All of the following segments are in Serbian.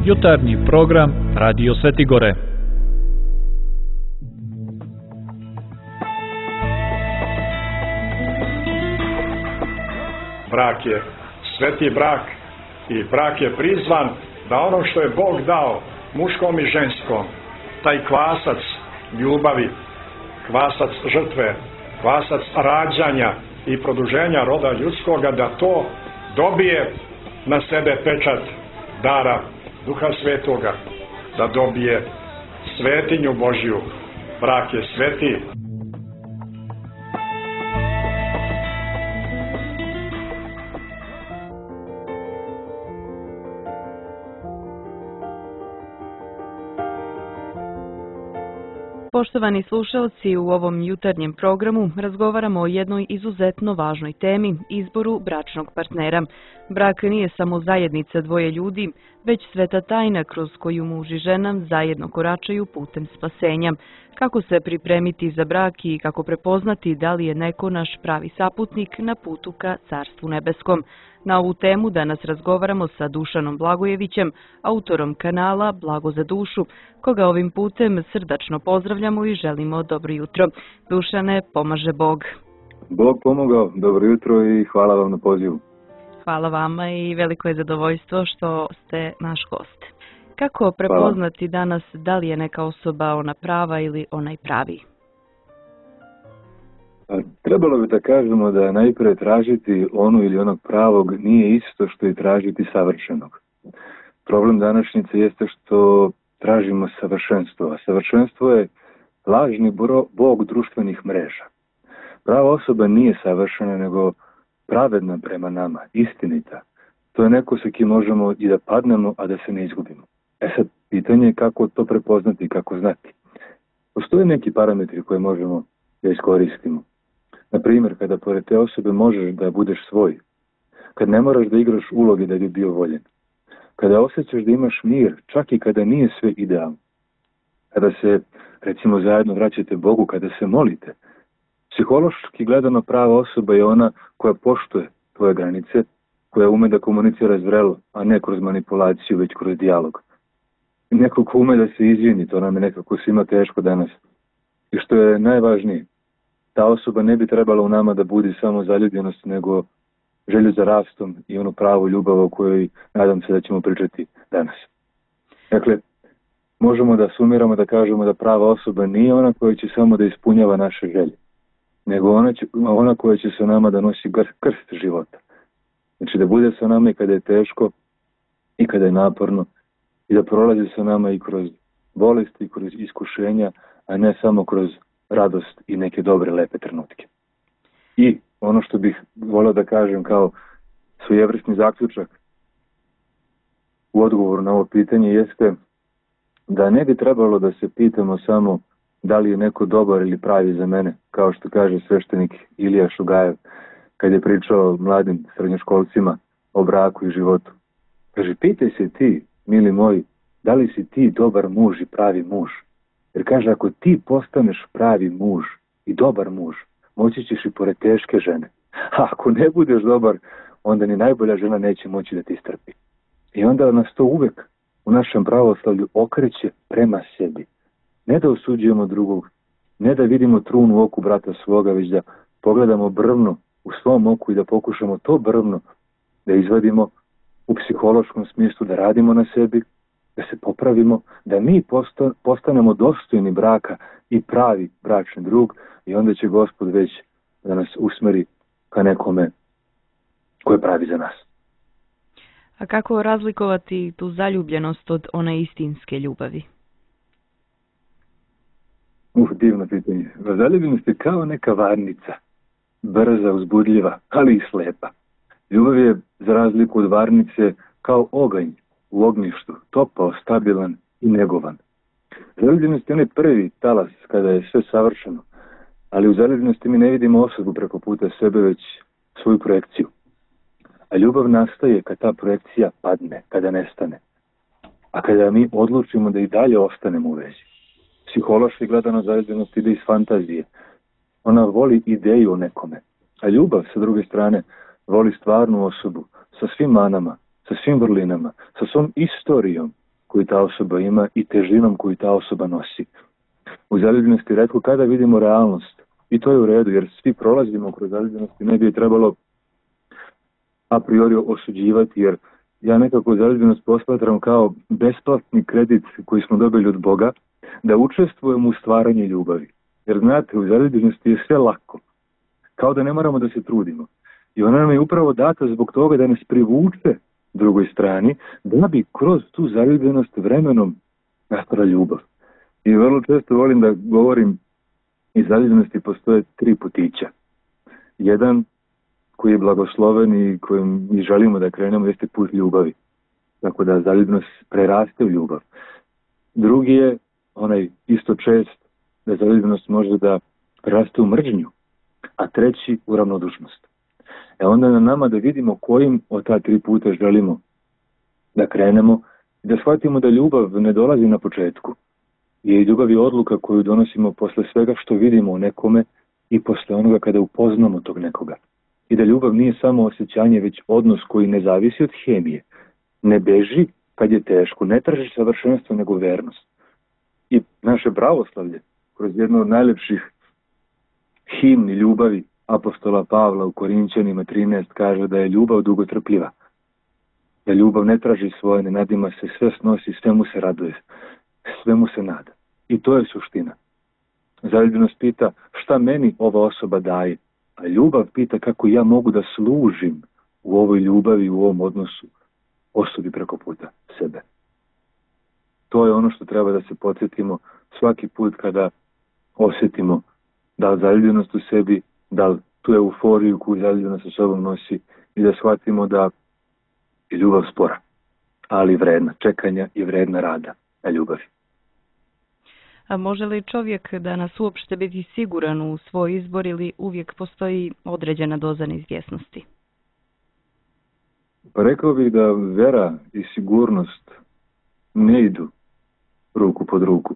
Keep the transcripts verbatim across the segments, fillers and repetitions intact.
Jutarnji program Radio Svetigore. Brak je sveti brak i brak je prizvan da ono što je Bog dao muškom i ženskom, taj kvasac ljubavi, kvasac žrtve, kvasac rađanja i produženja roda ljudskoga, da to dobije na sebe pečat dara Duha Svetoga, da dobije svetinju Božju. Brak je sveti. Poštovani slušalci, u ovom jutarnjem programu razgovaramo o jednoj izuzetno važnoj temi, izboru bračnog partnera. Brak nije samo zajednica dvoje ljudi, već sveta tajna kroz koju muž i žena zajedno koračaju putem spasenja. Kako se pripremiti za brak i kako prepoznati da li je neko naš pravi saputnik na putu ka Carstvu nebeskom. Na ovu temu danas razgovaramo sa Dušanom Blagojevićem, autorom kanala Blago za dušu, koga ovim putem srdačno pozdravljamo i želimo dobro jutro. Dušane, pomaže Bog. Bog pomogao, dobro jutro i hvala vam na pozivu. Hvala vama i veliko je zadovoljstvo što ste naš gost. Kako prepoznati danas da li je neka osoba ona prava ili onaj pravi? Trebalo bi da kažemo da najprije tražiti onu ili onog pravog nije isto što i tražiti savršenog. Problem današnjice jeste što tražimo savršenstvo, a savršenstvo je lažni bog društvenih mreža. Prava osoba nije savršena, nego pravedna prema nama, istinita. To je neko sa kim možemo i da padnemo, a da se ne izgubimo. E sad, pitanje je kako to prepoznati i kako znati. Postoje neki parametri koje možemo da iskoristimo. Na primjer, kada pored te osobe možeš da budeš svoj, kad ne moraš da igraš uloge da bi bio voljen, kada osjećaš da imaš mir, čak i kada nije sve idealno, kada se, recimo, zajedno vraćate Bogu, kada se molite. Psihološki gledano prava osoba je ona koja poštuje tvoje granice, koja ume da komunicira zrelo, a ne kroz manipulaciju, već kroz dijalog. Neko ko ume da se izvini, to nam je nekako svima teško danas. I što je najvažnije, ta osoba ne bi trebala u nama da budi samo zaljubljenost, nego želju za rastom i onu pravu ljubav o kojoj nadam se da ćemo pričati danas. Dakle, možemo da sumiramo, da kažemo da prava osoba nije ona koja će samo da ispunjava naše želje, nego ona, će, ona koja će sa nama da nosi krst života. Znači da bude sa nama i kada je teško, i kada je naporno, i da prolazi sa nama i kroz bolesti, i kroz iskušenja, a ne samo kroz radost i neke dobre, lepe trenutke. I ono što bih volio da kažem kao svojevrsni zaključak u odgovoru na ovo pitanje jeste da ne bi trebalo da se pitamo samo da li je neko dobar ili pravi za mene, kao što kaže sveštenik Ilija Šugajev kad je pričao mladim srednjoškolcima o braku i životu. Kaže, pitaj se ti, mili moji, da li si ti dobar muž i pravi muž? Jer kaže, ako ti postaneš pravi muž i dobar muž, moći ćeš i pored teške žene. A ako ne budeš dobar, onda ni najbolja žena neće moći da ti strpi. I onda nas to uvek u našem pravoslavlju okreće prema sebi. Ne da osuđujemo drugog, ne da vidimo trun u oku brata svoga, već da pogledamo brvno u svom oku i da pokušamo to brvno da izvadimo u psihološkom smislu, da radimo na sebi, da se popravimo, da mi postanemo dostojni braka i pravi bračni drug i onda će Gospod već da nas usmeri ka nekome ko je pravi za nas. A kako razlikovati tu zaljubljenost od one istinske ljubavi? Uh, divno pitanje. Zaljubljenost je kao neka varnica, brza, uzbudljiva, ali i slepa. Ljubav je, za razliku od varnice, kao oganj u ognjištu, topao, stabilan i negovan. Zaljubljenost je onaj prvi talas kada je sve savršeno, ali u zaljubljenosti mi ne vidimo osobu preko puta sebe, već svoju projekciju. A ljubav nastaje kad ta projekcija padne, kada nestane. A kada mi odlučimo da i dalje ostanemo u vezi. Psihološki gledano zaljubljenost ide iz fantazije. Ona voli ideju o nekome. A ljubav, sa druge strane, voli stvarnu osobu, sa svim manama, sa svim vrlinama, sa svom istorijom, koju ta osoba ima i težinom koju ta osoba nosi. U zaljubljenosti retko kada vidimo realnost. I to je u redu, jer svi prolazimo kroz zaljubljenost i ne bi je trebalo a priori osuđivati, jer ja nekako zaljubljenost posmatram kao besplatni kredit koji smo dobili od Boga, da učestvujemo u stvaranju ljubavi. Jer znate, u zaljubljenosti je sve lako. Kao da ne moramo da se trudimo. I ona nam je upravo data zbog toga da nas privuče drugoj strani, da bi kroz tu zaljubljenost vremenom nastala ljubav. I vrlo često volim da govorim, iz zaljubljenosti postoje tri putića. Jedan koji je blagosloven i kojim mi želimo da krenemo jeste put ljubavi. Tako da zaljubljenost preraste u ljubav. Drugi je onaj isto čest da zaljubljenost može da preraste u mržnju, a treći u ravnodušnost. E onda na nama da vidimo kojim od ta tri puta želimo da krenemo i da shvatimo da ljubav ne dolazi na početku. I ljubav je odluka koju donosimo posle svega što vidimo u nekome i posle onoga kada upoznamo tog nekoga. I da ljubav nije samo osjećanje, već odnos koji ne zavisi od hemije. Ne beži kad je teško, ne traži savršenstvo, nego vernost. I naše pravoslavlje, kroz jednu od najlepših himni ljubavi apostola Pavla u Korinćanima trinaest kaže da je ljubav dugotrpljiva. Da ljubav ne traži svoje, ne nadima se, sve snosi, sve mu se raduje, sve mu se nada. I to je suština. Zaljubljenost pita šta meni ova osoba daje, a ljubav pita kako ja mogu da služim u ovoj ljubavi, u ovom odnosu osobi preko puta sebe. To je ono što treba da se podsjetimo svaki put kada osjetimo da li zaljubljenost u sebi, da li tu euforiju koju zaljubljenost sa sobom nosi i da shvatimo da je ljubav spora, ali vredna čekanja i vredna rada na ljubavi. A može li čovjek danas uopšte biti siguran u svoj izbor ili uvijek postoji određena doza neizvjesnosti? Pa rekao bih da vera i sigurnost ne idu ruku pod ruku.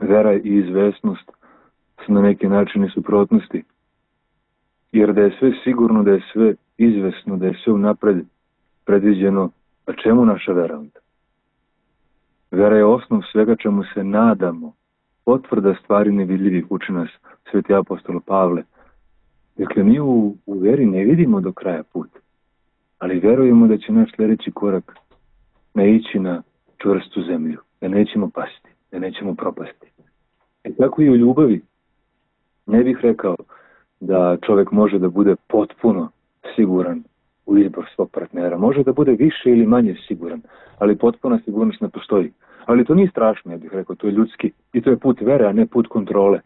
Vera i izvesnost su na neki način i suprotnosti. Jer da je sve sigurno, da je sve izvesno, da je sve unapred predviđeno, a čemu naša vera onda? Vera je osnov svega čemu se nadamo. Potvrda stvari nevidljivih uči nas sveti apostol Pavle. Dakle, mi u, u veri ne vidimo do kraja put, ali verujemo da će naš sljedeći korak naići na čvrstu zemlju, da nećemo pasti, da nećemo propasti. E tako i u ljubavi. Ne bih rekao da čovjek može da bude potpuno siguran u izbor svog partnera. Može da bude više ili manje siguran, ali potpuna sigurnost ne postoji. Ali to nije strašno, ja bih rekao, to je ljudski i to je put vere, a ne put kontrole.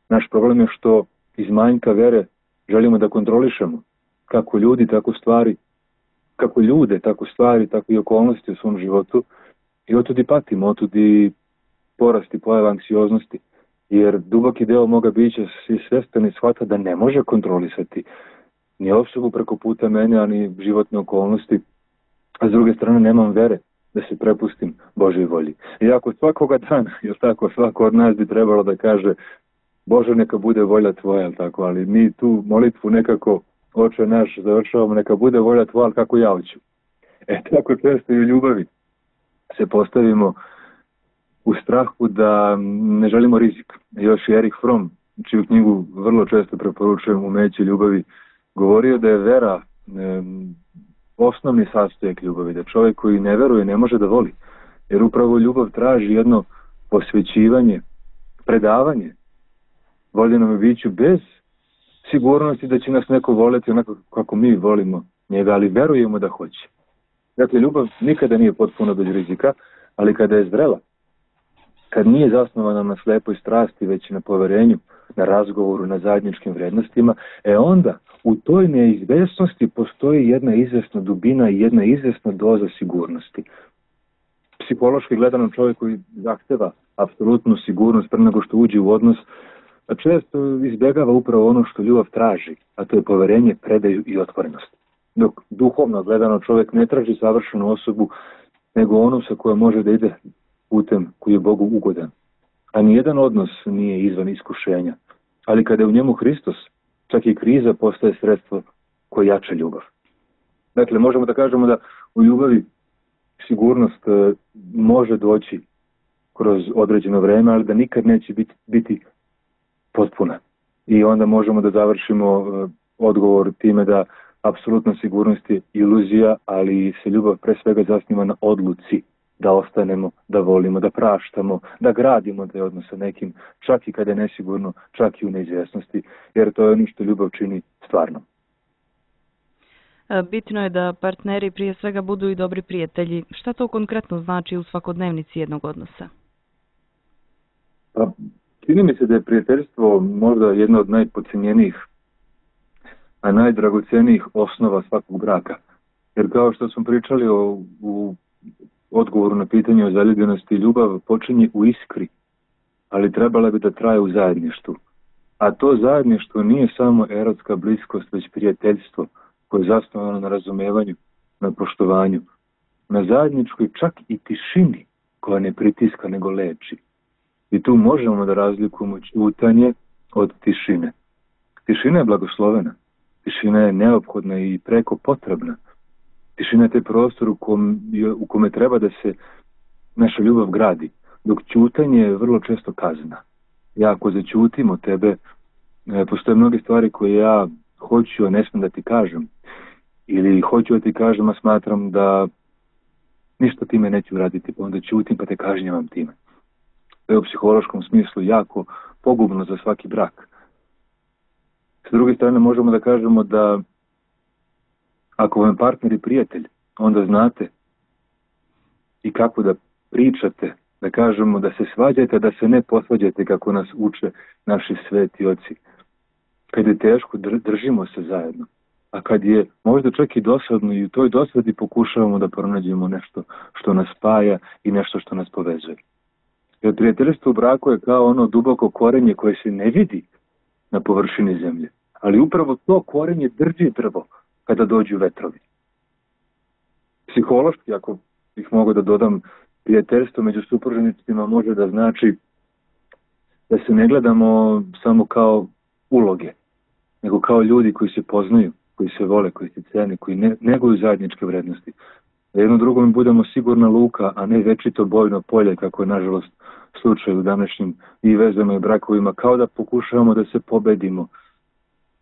Naš problem je što iz manjka vere želimo da kontrolišemo kako ljudi, tako stvari, kako ljude, tako stvari, tako i okolnosti u svom životu i otud i patimo, otud i porasti pojava anksioznosti. Jer duboki deo moga bića si svestan i shvata da ne može kontrolisati ni osobu preko puta mene, ani životne okolnosti, a s druge strane nemam vere da se prepustim Božoj volji. Iako svakoga dana, jel tako, svako od nas bi trebalo da kaže Bože, neka bude volja tvoja, jel tako, ali mi tu molitvu nekako, Oče naš, završavamo, neka bude volja tvoja, ali kako ja hoću. E, tako često i u ljubavi se postavimo u strahu da ne želimo rizik. Još i Erich Fromm, čiju knjigu vrlo često preporučujem, Umeće ljubavi, govorio da je vera e, osnovni sastojak ljubavi, da čovjek koji ne veruje ne može da voli. Jer upravo ljubav traži jedno posvećivanje, predavanje voljenom biću bez sigurnosti da će nas neko voleti onako kako mi volimo njega, ali verujemo da hoće. Dakle, ljubav nikada nije potpuno bez rizika, ali kada je zrela, kad nije zasnovana na slepoj strasti, već na poverenju, na razgovoru, na zajedničkim vrednostima, e onda u toj neizvesnosti postoji jedna izvesna dubina i jedna izvesna doza sigurnosti. Psihološki gledano čovjek koji zahteva apsolutnu sigurnost pre nego što uđe u odnos, a često izbjegava upravo ono što ljubav traži, a to je poverenje, predaju i otvorenost. Dok duhovno gledano čovjek ne traži savršenu osobu, nego onu sa kojom može da ide putem koji je Bogu ugodan. A nijedan odnos nije izvan iskušenja. Ali kada je u njemu Hristos, čak i kriza postaje sredstvo koje jača ljubav. Dakle, možemo da kažemo da u ljubavi sigurnost može doći kroz određeno vreme, ali da nikad neće biti, biti potpuna. I onda možemo da završimo odgovor time da apsolutna sigurnost je iluzija, ali se ljubav pre svega zasniva na odluci da ostanemo, da volimo, da praštamo, da gradimo taj odnos sa nekim, čak i kada je nesigurno, čak i u neizvjesnosti, jer to je ono što ljubav čini stvarno. Bitno je da partneri prije svega budu i dobri prijatelji. Šta to konkretno znači u svakodnevnici jednog odnosa? Pa, čini mi se da je prijateljstvo možda jedno od najpodcijenjenijih, a najdragocenijih osnova svakog braka. Jer kao što smo pričali o, u odgovoru na pitanje o zaljubljenosti, ljubav počinje u iskri, ali trebala bi da traje u zajedništvu. A to zajedništvo nije samo erotska bliskost, već prijateljstvo koje je zasnovano na razumevanju, na poštovanju, na zajedničkoj čak i tišini koja ne pritiska nego leči. I tu možemo da razlikujemo ćutanje od tišine. Tišina je blagoslovena, tišina je neophodna i preko potrebna. Tišina je taj prostor u, kom, u kome treba da se naša ljubav gradi, dok ćutanje je vrlo često kazna. Ja ako zaćutim od tebe, postoje mnoge stvari koje ja hoću, a ne smijem da ti kažem. Ili hoću da ti kažem, a smatram da ništa time neću uraditi, pa onda ćutim pa te kažnjavam time. To je u psihološkom smislu jako pogubno za svaki brak. S druge strane možemo da kažemo da ako vam partner i prijatelj, onda znate i kako da pričate, da kažemo da se svađate, da se ne posvađate kako nas uče naši sveti oci. Kad je teško, držimo se zajedno. A kad je možda čak i dosadno i u toj dosadi pokušavamo da pronađemo nešto što nas spaja i nešto što nas povezuje. Jer prijateljstvo u braku je kao ono duboko korenje koje se ne vidi na površini zemlje. Ali upravo to korenje drži drvo kada dođu vetrovi. Psihološki, ako ih mogu da dodam, prijateljstvo među supružnicima može da znači da se ne gledamo samo kao uloge, nego kao ljudi koji se poznaju, koji se vole, koji se cene, koji ne, neguju zajedničke vrednosti. Da jedno drugom budemo sigurna luka, a ne večito bojno polje, kako je nažalost slučaj u današnjim i vezama i brakovima, kao da pokušavamo da se pobedimo,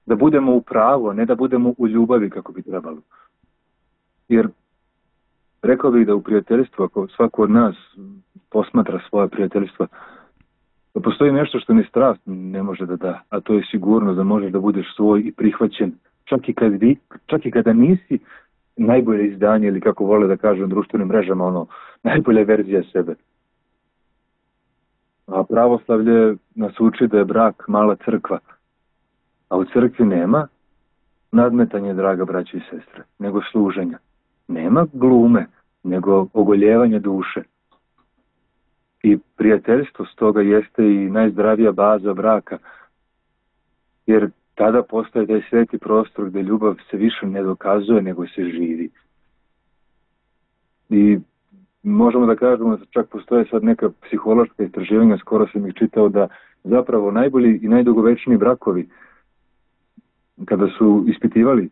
da budemo u pravu, a ne da budemo u ljubavi kako bi trebalo. Jer rekao bih da u prijateljstvu, ako svako od nas posmatra svoje prijateljstva, da postoji nešto što ni strast ne može da da, a to je sigurno da možeš da budeš svoj i prihvaćen, čak i, kad vi, čak i kada nisi najbolje izdanje ili kako vole da kažu na društvenim mrežama, ono, najbolja verzija sebe. A pravoslavlje nas uči da je brak mala crkva, a u crkvi nema nadmetanje, draga braća i sestre, nego služenja. Nema glume, nego ogoljevanja duše. I prijateljstvo stoga jeste i najzdravija baza braka, jer tada postaje taj sveti prostor gdje ljubav se više ne dokazuje, nego se živi. I možemo da kažemo da čak postoje sad neka psihološka istraživanja, skoro sam ih čitao, da zapravo najbolji i najdugovečniji brakovi, kada su ispitivali,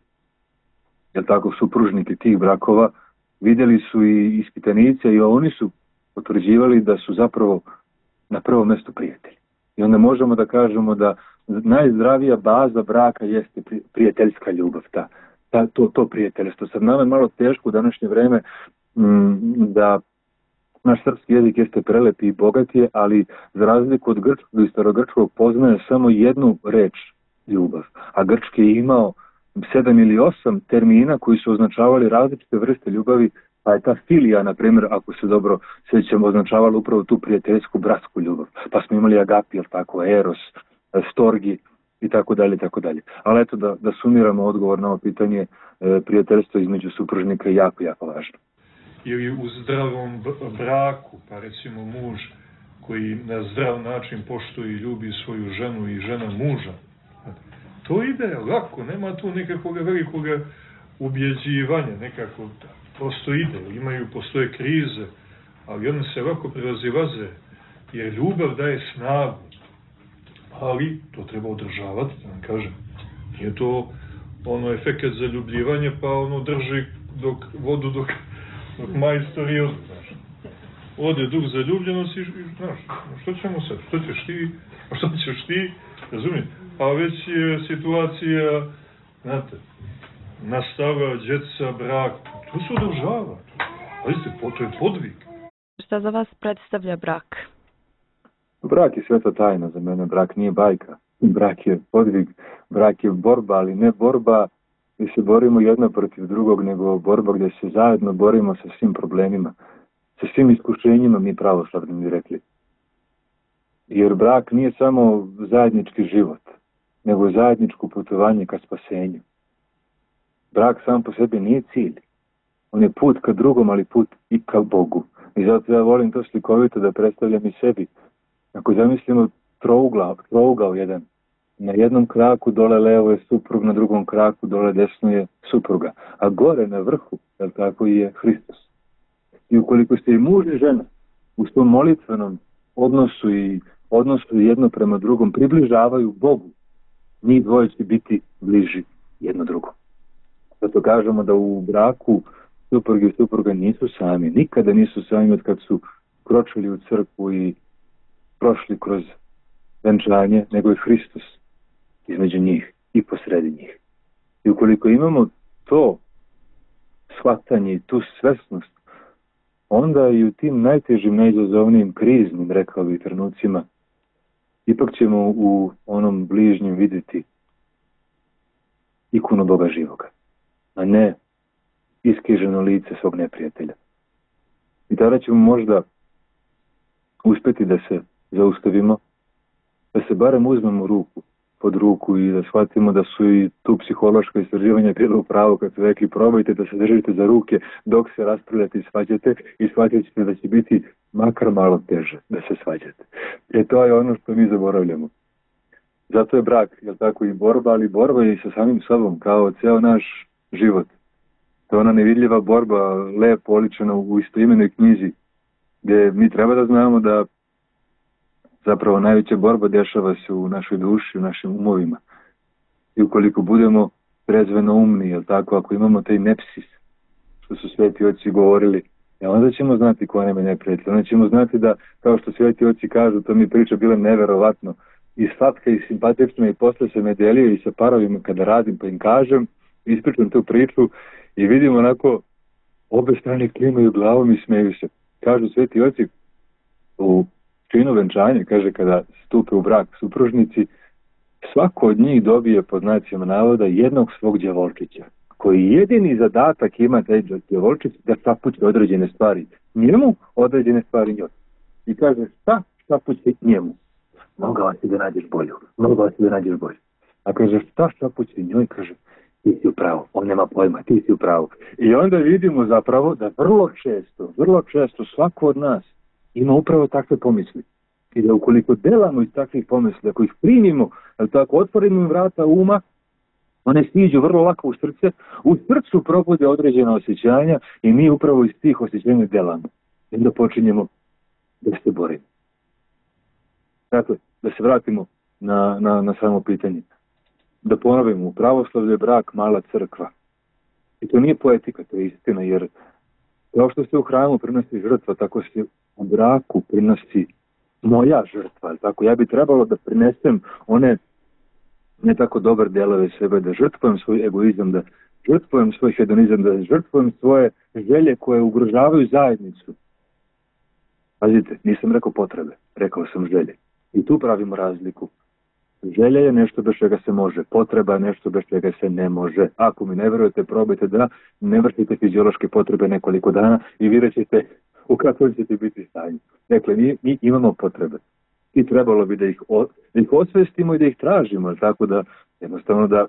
jel tako, supružnike tih brakova, vidjeli su i ispitanice i oni su potvrđivali da su zapravo na prvom mjestu prijatelji. I onda možemo da kažemo da najzdravija baza braka jeste prijateljska ljubav, ta, ta, to, to prijateljstvo. Sad nama je malo teško u današnje vreme m, da naš srpski jezik jeste prelepi i bogatije, ali za razliku od grčkog i starogrčkog poznaje samo jednu reč ljubav. A grčki je imao sedam ili osam termina koji su označavali različite vrste ljubavi, pa je ta filija, na primjer, ako se dobro sjećamo, označavala upravo tu prijateljsku, bratsku ljubav. Pa smo imali agapi, jel tako, eros, storgi i tako dalje, tako dalje. Ali eto da, da sumiramo odgovor na ovo pitanje, e, prijateljstvo između supružnika je jako, jako važno. Ili u zdravom braku, pa recimo muž koji na zdrav način poštuje i ljubi svoju ženu i žena muža, to ide lako, nema tu nekakvog velikog ubjeđivanja, nekako prosto ide, imaju, postoje krize, ali one se lako prevazilaze, jer ljubav daje snagu, ali to treba održavati, da vam kažem. Nije to ono efekat zaljubljivanje, pa ono drži dok, vodu dok, dok majstor i ode, znaš. Ode duh zaljubljenosti i, znaš, što ćemo sad, što ćeš ti, a što ćeš ti, razumiješ? A već je situacija, znate, nastava, djeca, brak, to se održava. Pazite, to je podvig. Šta za vas predstavlja brak? Brak je sveta tajna za mene, brak nije bajka. Brak je podvig, brak je borba, ali ne borba gdje se borimo jedno protiv drugog, nego borba gdje se zajedno borimo sa svim problemima, sa svim iskušenjima, mi pravoslavni bi rekli. Jer brak nije samo zajednički život, nego zajedničko putovanje ka spasenju. Brak sam po sebi nije cilj. On je put ka drugom, ali put i ka Bogu. I zato ja volim to slikovito da predstavljam i sebi. Ako zamislimo trougao, trougao jedan, na jednom kraku dole levo je suprug, na drugom kraku dole desno je supruga. A gore na vrhu, jel tako, je Hristos. I ukoliko ste i muž i žena u svom molitvenom odnosu i odnosu jedno prema drugom približavaju Bogu, njih dvoje će biti bliži jedno drugom. Zato kažemo da u braku suprug i supruga nisu sami. Nikada nisu sami od kad su kročili u crkvu i prošli kroz venčanje, nego je Hristos između njih i posredi njih. I ukoliko imamo to shvatanje i tu svesnost, onda i u tim najtežim, najizazovnijim, kriznim, rekao bih, trenucima, ipak ćemo u onom bližnjem vidjeti ikonu Boga živoga, a ne iskriženo lice svog neprijatelja. I tada ćemo možda uspjeti da se zaustavimo, da se barem uzmemo ruku pod ruku i da shvatimo da su i tu psihološka istraživanja bila u pravu kad su rekli probajte da se držite za ruke dok se raspravljate i svađate i shvatit ćete da će biti makar malo teže da se svađate. E to je ono što mi zaboravljamo. Zato je brak, jel tako, i borba, ali borba je i sa samim sobom, kao ceo naš život. To je ona nevidljiva borba, lepo oličena u istoimenoj knjizi, gdje mi treba da znamo da zapravo najveća borba dešava se u našoj duši, u našim umovima. I ukoliko budemo trezveno umni, jel tako, ako imamo taj nepsis, što su sveti oci govorili, e onda ćemo znati ko nam je neprijatelj. Onda ćemo znati da, kao što sveti oci kažu, to mi priča bilo neverovatno, i slatka i simpatično, i posle se me delio i sa parovima kada radim, pa im kažem, ispričam tu priču i vidim onako obe strane klimaju glavom i smeju se. Kažu sveti oci u činu venčanja, kaže, kada stupe u brak supružnici, svako od njih dobije, pod znacima navoda, jednog svog đavolčića, koji jedini zadatak ima taj đavolčić da šapuće određene stvari njemu, određene stvari njoj. I kaže, šta šapuće njemu? Mogao si da nađeš bolju, mogao si da nađeš bolju. A kaže, šta šapuće njoj? Kaže, ti si u pravu, on nema pojma, ti si u pravu. I onda vidimo zapravo da vrlo često, vrlo često svako od nas ima upravo takve pomisli. I da ukoliko delamo iz takvih pomisli, ako ih primimo, ali tako otvorimo vrata uma, one stiđu vrlo lako u srce, u srcu probude određena osjećanja i mi upravo iz tih osjećanja delamo. I onda počinjemo da se borimo. Dakle, da se vratimo na, na, na samo pitanje. Da ponovimo, u pravoslavlju je brak mala crkva. I to nije poetika, to je istina, jer kao što se u hramu prinosi žrtva, tako se u braku prinosi moja žrtva. Tako, ja bi trebalo da prinesem one ne tako dobar delove sebe, da žrtvujem svoj egoizam, da žrtvujem svoj hedonizam, da žrtvujem svoje želje koje ugrožavaju zajednicu. Pazite, nisam rekao potrebe, rekao sam želje. I tu pravimo razliku. Želja je nešto bez čega se može, potreba je nešto bez čega se ne može. Ako mi ne verujete, probajte da ne vršite fiziološke potrebe nekoliko dana i vidjet ćete u kakvom ćete biti stanju. Dakle, mi, mi imamo potrebe i trebalo bi da ih, o, da ih osvestimo i da ih tražimo, tako da jednostavno da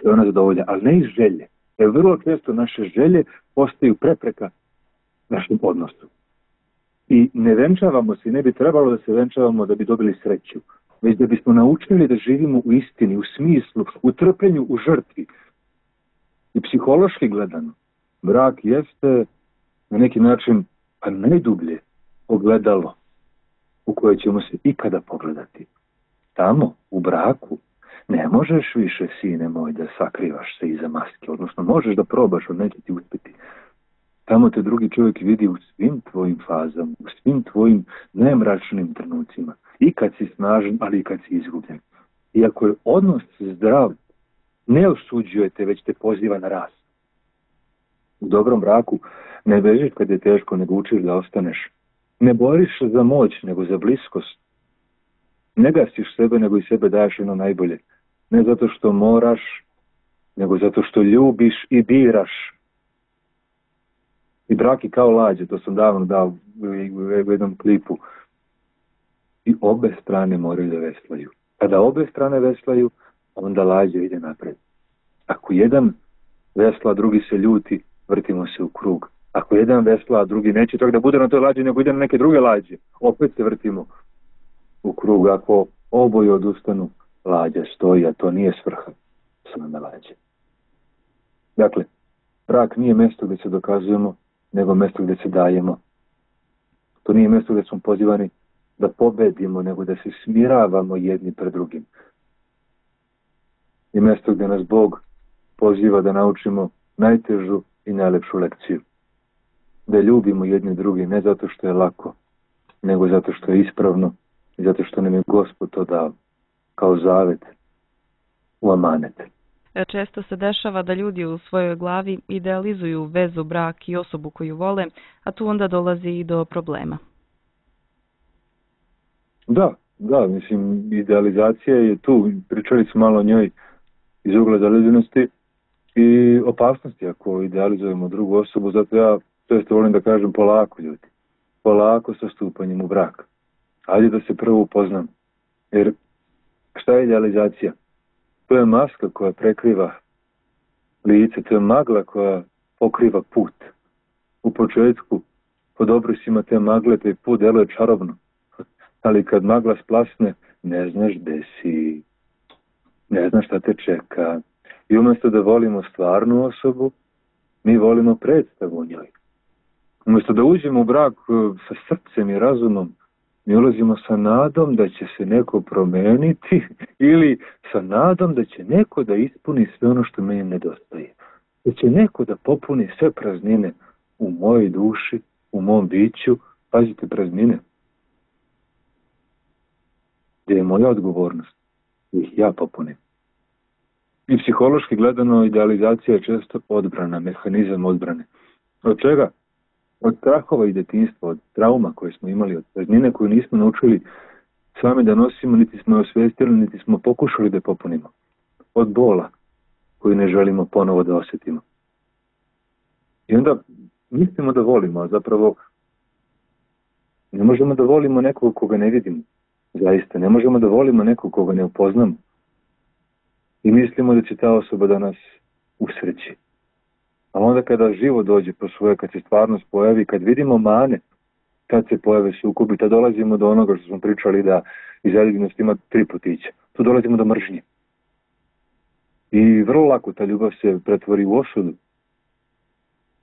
se ona zadovolja, ali ne iz želje. Jer vrlo često naše želje postaju prepreka našem odnosu. I ne venčavamo se, ne bi trebalo da se venčavamo da bi dobili sreću, već da bismo naučili da živimo u istini, u smislu, u trpljenju, u žrtvi. I psihološki gledano, brak jeste na neki način pa najdublje ogledalo u koje ćemo se ikada pogledati. Tamo, u braku, ne možeš više, sine moj, da sakrivaš se iza maske, odnosno možeš da probaš, ali neće ti uspjeti. Tamo te drugi čovjek vidi u svim tvojim fazama, u svim tvojim najmračnim trenucima. I kad si snažan, ali i kad si izgubljen. I ako je odnos zdrav, ne osuđujete, već te poziva na rast. U dobrom braku ne bežiš kad je teško, nego učiš da ostaneš. Ne boriš za moć, nego za bliskost. Ne gasiš sebe, nego i sebe daješ ono najbolje. Ne zato što moraš, nego zato što ljubiš i biraš. I brak je kao lađe, to sam davno dao u jednom klipu. I obe strane moraju da veslaju. Kada obe strane veslaju, onda lađe ide napred. Ako jedan vesla, drugi se ljuti, vrtimo se u krug. Ako jedan vesla, a drugi neće čak da bude na toj lađi, nego ide na neke druge lađe, opet se vrtimo u krug. Ako oboje odustanu, lađa stoji, a to nije svrha same lađe. Dakle, brak nije mjesto gdje se dokazujemo, nego mjesto gdje se dajemo. To nije mjesto gdje smo pozivani da pobedimo, nego da se smiravamo jedni pred drugim. I mjesto gdje nas Bog poziva da naučimo najtežu i najlepšu lekciju. Da ljubimo jedni drugi ne zato što je lako, nego zato što je ispravno i zato što nam je Gospod to dao kao zavet u amanet. Često se dešava da ljudi u svojoj glavi idealizuju vezu, brak i osobu koju vole, a tu onda dolazi i do problema. Da, da, mislim, idealizacija je tu. Pričali smo malo o njoj iz ugla zaljubljenosti i opasnosti ako idealizujemo drugu osobu. Zato ja često volim da kažem polako, ljudi. Polako sa stupanjem u brak. Ajde da se prvo upoznam. Jer šta je idealizacija? To je maska koja prekriva lice, to je magla koja pokriva put. U početku, pod obrisima te magle, taj put deluje čarobno. Ali kad magla splasne, ne znaš gde si, ne znaš šta te čeka. I umjesto da volimo stvarnu osobu, mi volimo predstavu o njoj. Umjesto da uđemo u brak sa srcem i razumom, mi ulazimo sa nadom da će se neko promeniti ili sa nadom da će neko da ispuni sve ono što meni nedostaje. Da će neko da popuni sve praznine u mojoj duši, u mom biću. Pazite, praznine. Gdje je moja odgovornost? Da ih ja popunim. I psihološki gledano, idealizacija je često odbrana, mehanizam odbrane. Od čega? Od strahova i detinjstva, od trauma koje smo imali, od praznine koju nismo naučili sami da nosimo, niti smo je osvestili, niti smo pokušali da popunimo. Od bola koju ne želimo ponovo da osjetimo. I onda mislimo da volimo, a zapravo ne možemo da volimo nekog koga ne vidimo. Zaista, ne možemo da volimo nekog koga ne upoznamo. I mislimo da će ta osoba da nas usreći. A onda kada živo dođe po svoje, kad se stvarnost pojavi, kad vidimo mane, kad se pojave sukobi, tad dolazimo do onoga što smo pričali da iz zaljubljenosti ima tri putića. Tu dolazimo do mržnje. I vrlo lako ta ljubav se pretvori u osudu.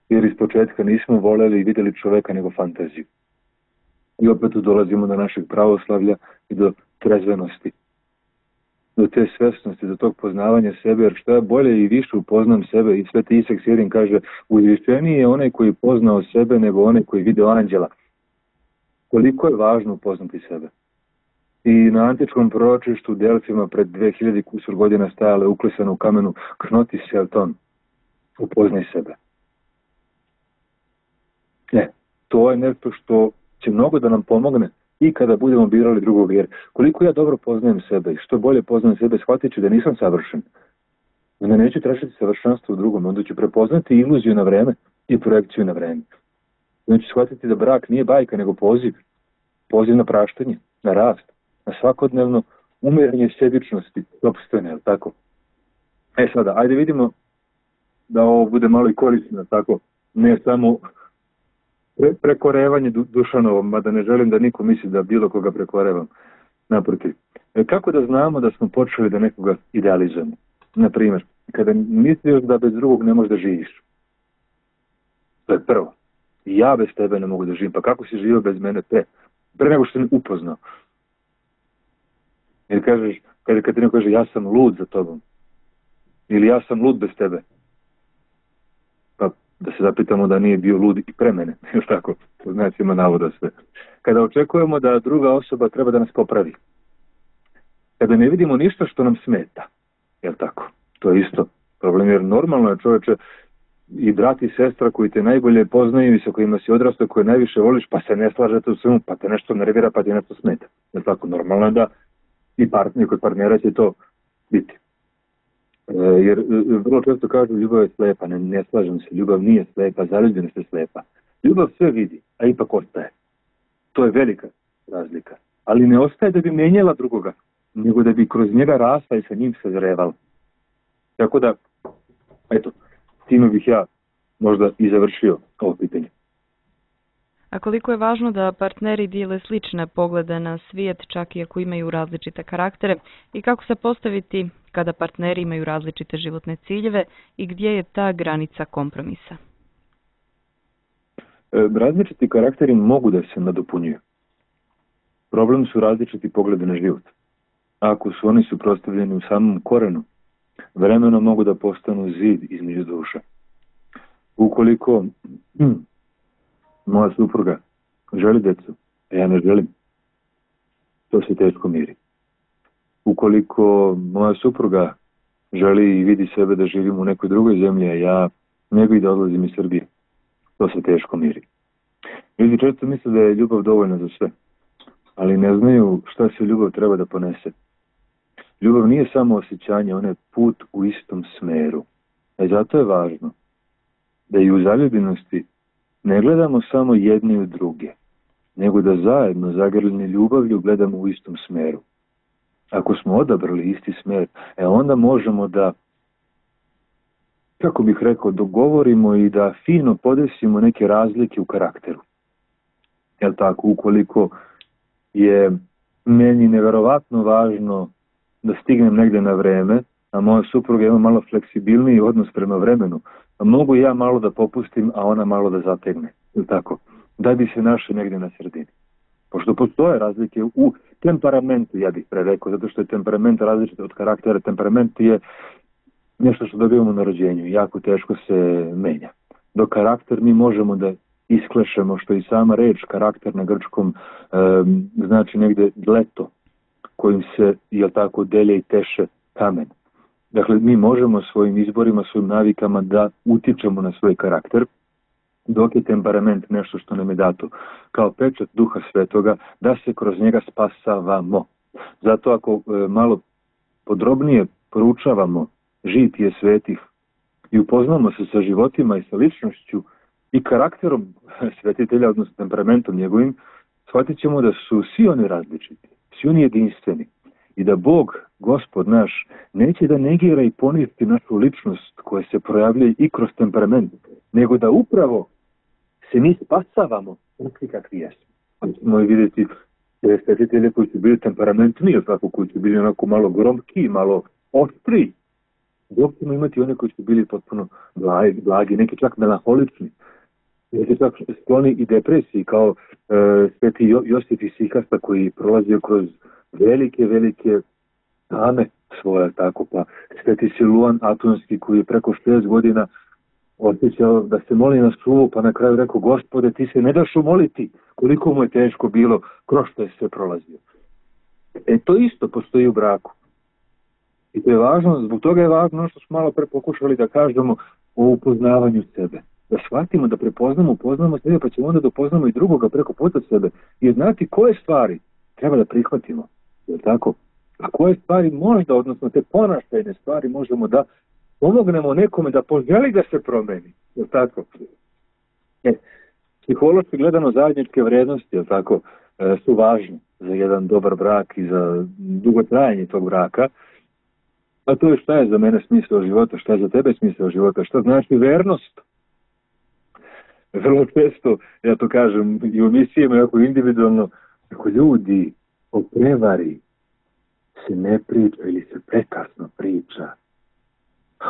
Jer iz početka nismo voljeli i vidjeli čoveka nego fantaziju. I opet tu dolazimo do našeg pravoslavlja i do trezvenosti. Do te svesnosti, do tog poznavanja sebe, jer što je bolje i više upoznam sebe. I Sveti Isak Sirin kaže, uzvišeniji je onaj koji poznao sebe nego onaj koji video anđela. Koliko je važno upoznati sebe. I na antičkom proročištu u Delfima pred dve hiljade kusur godina stajale uklesano u kamenu knoti Selton. Upoznaj sebe. Ne, to je nešto što će mnogo da nam pomogne i kada budemo birali drugog, jer koliko ja dobro poznajem sebe i što bolje poznajem sebe, shvatit ću da nisam savršen. Onda neću tražiti savršenstvo u drugom, onda ću prepoznati iluziju na vreme i projekciju na vreme. Onda ću shvatiti da brak nije bajka, nego poziv. Poziv na praštanje, na rast, na svakodnevno umiranje sebičnosti, opstojne, je li tako? E sada, ajde vidimo da ovo bude malo i korisno, tako, ne samo Pre, prekorevanje du, Dušanovom, mada ne želim da niko misli da bilo koga prekorevam. Naprotiv. E, kako da znamo da smo počeli da nekoga idealizujemo? Naprimjer, kada misliš da bez drugog ne možeš da živiš. To je prvo. Ja bez tebe ne mogu da živim. Pa kako si živio bez mene pre? Pre nego što sam upoznao. Ili kažeš, kada, kada ti neko kaže ja sam lud za tobom. Ili ja sam lud bez tebe. Pa da se zapitamo da nije bio lud i pre mene, jel tako, to znači ima navoda sve. Kada očekujemo da druga osoba treba da nas popravi, kada ne vidimo ništa što nam smeta, jel tako, to je isto problem, jer normalno je, čoveče, i brat i sestra koji te najbolje poznaju i sa kojima si odrastao, koje najviše voliš, pa se ne slažete u svemu, pa te nešto nervira, pa ti nešto smeta, jel tako, normalno je da i partner, kod partnera će to biti. E, jer vrlo često kažu ljubav je slepa, ne, ne slažem se, ljubav nije slepa, zaljubljenost je slepa. Ljubav sve vidi, a ipak ostaje. To je velika razlika. Ali ne ostaje da bi mijenjala drugoga, nego da bi kroz njega rasla i sa njim sazrevala. Tako da, eto, time bih ja možda i završio ovo pitanje. A koliko je važno da partneri dijele slične poglede na svijet, čak i ako imaju različite karaktere, i kako se postaviti kada partneri imaju različite životne ciljeve i gdje je ta granica kompromisa? E, različiti karakteri mogu da se nadopunjuju. Problem su različiti pogledi na život. Ako su oni suprotstavljeni u samom korenu, vremenom mogu da postanu zid između duša. Ukoliko hm, moja supruga želi decu, a ja ne želim, to se teško miri. Ukoliko moja supruga želi i vidi sebe da živim u nekoj drugoj zemlji, a ja ne bih da odlazim iz Srbije, to se teško miri. Ljudi često misle da je ljubav dovoljna za sve, ali ne znaju šta se ljubav treba da ponese. Ljubav nije samo osjećanje, ona je put u istom smeru. E zato je važno da i u zaljubljenosti ne gledamo samo jedni u druge, nego da zajedno zagrljeni ljubavlju gledamo u istom smeru. Ako smo odabrali isti smer, e onda možemo da, kako bih rekao, dogovorimo i da fino podesimo neke razlike u karakteru. Jel tako, ukoliko je meni neverovatno važno da stignem negde na vreme, a moja supruga ima malo fleksibilniji odnos prema vremenu, a mogu ja malo da popustim, a ona malo da zategne. Jel tako? Da bi se našli negde na sredini. Pošto postoje razlike u temperamentu, ja bih pre rekao, zato što je temperament različit od karaktera. Temperament je nešto što dobijemo na rođenju, jako teško se menja. Dok karakter mi možemo da isklešemo, što i sama reč karakter na grčkom e, znači negde leto, kojim se, jel tako, delje i teše kamen. Dakle, mi možemo svojim izborima, svojim navikama da utičemo na svoj karakter, dok je temperament nešto što nam je dato kao pečat Duha Svetoga, da se kroz njega spasavamo. Zato ako e, malo podrobnije proučavamo žitije svetih i upoznamo se sa životima i sa ličnošću i karakterom svetitelja, odnosno temperamentom njegovim, shvatit ćemo da su svi oni različiti, svi oni jedinstveni i da Bog, Gospod naš, neće da negira i poništi našu ličnost koja se projavlja i kroz temperament, nego da upravo se mi spasavamo takvi kakvi jesmo. Možemo i vidjeti svetitelje koji su bili temperamentni, tako, koji su bili onako malo gromki, malo oštri, dok ćemo imati one koji su bili potpuno blagi, blagi neki čak melanholični, neki čak skloni i depresiji, kao e, sveti jo, Josif iz Sikasta koji prolazio kroz velike, velike tame svoje, tako, pa sveti Siluan Atonski koji je preko šezdeset godina osjećao da se moli na suvu, pa na kraju rekao: Gospode, ti se ne daš umoliti, koliko mu je teško bilo, kroz što je sve prolazio. E to isto postoji u braku. I to je važno, zbog toga je važno što smo malo pre pokušali da kažemo o upoznavanju sebe. Da shvatimo, da prepoznamo, upoznamo sebe, pa ćemo onda da upoznamo i drugoga preko puta sebe. I znati koje stvari treba da prihvatimo. Je tako? A koje stvari možda, odnosno te ponašajne stvari, možemo da pomognemo nekome da poželi da se promeni. Je tako? E, psihološki gledano zajedničke vrednosti, je tako, e, su važne za jedan dobar brak i za dugotrajanje tog braka. A to je šta je za mene smisao života, šta je za tebe smisao života, šta znači vernost. Vrlo često, ja to kažem i u misijama, jako individualno, ako ljudi o prevari se ne priča ili se prekasno priča.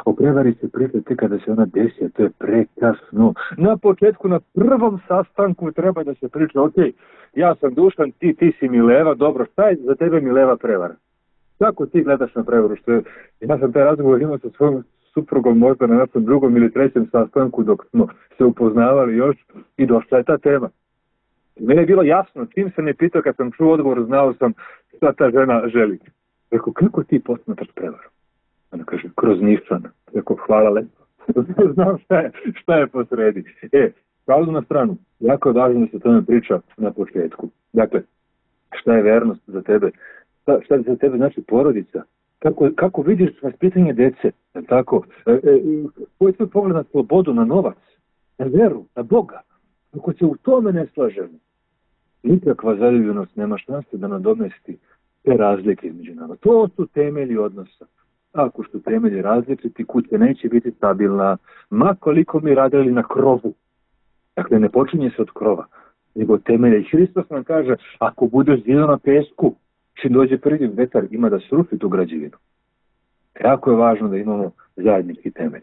O prevari se priča tek kada se ona desi, a to je prekasno. Na početku, na prvom sastanku treba da se priča: ok, ja sam Dušan, ti, ti si Mileva, dobro, šta je za tebe Mileva prevara? Kako ti gledaš na prevaru? Što je, ja sam taj razgovor imao sa svojom suprugom možda na našem drugom ili trećem sastanku dok smo se upoznavali još i došla je ta tema. Mene je bilo jasno, čim se ne pitao kad sam čuo odgovor, znao sam šta ta žena želi. Rekao, kako ti posmatraš prevaru? Ona kaže, kroz nišana. Rekao, hvala lepo. Znam šta je, šta je posredi. E, pravdu na stranu, jako je važno da se tome priča na početku. Dakle, šta je vernost za tebe? Šta, šta za tebe znači porodica? Kako, kako vidiš vaspitanje dece? Tako, e, e, koji je tvoj pogled na slobodu, na novac, na veru, na Boga? Ako se u tome ne slažemo, nikakva zaljubljenost nema šanse da nadomesti te razlike između nama. To su temelji odnosa. Ako su temelji različiti, kuća neće biti stabilna, ma koliko mi radili na krovu. Dakle, ne počinje se od krova, nego temelje. I Hristos nam kaže, ako budeš zidao na pesku, čim dođe prvi vetar, ima da sruši tu građevinu. Jako je važno da imamo zajednički temelj.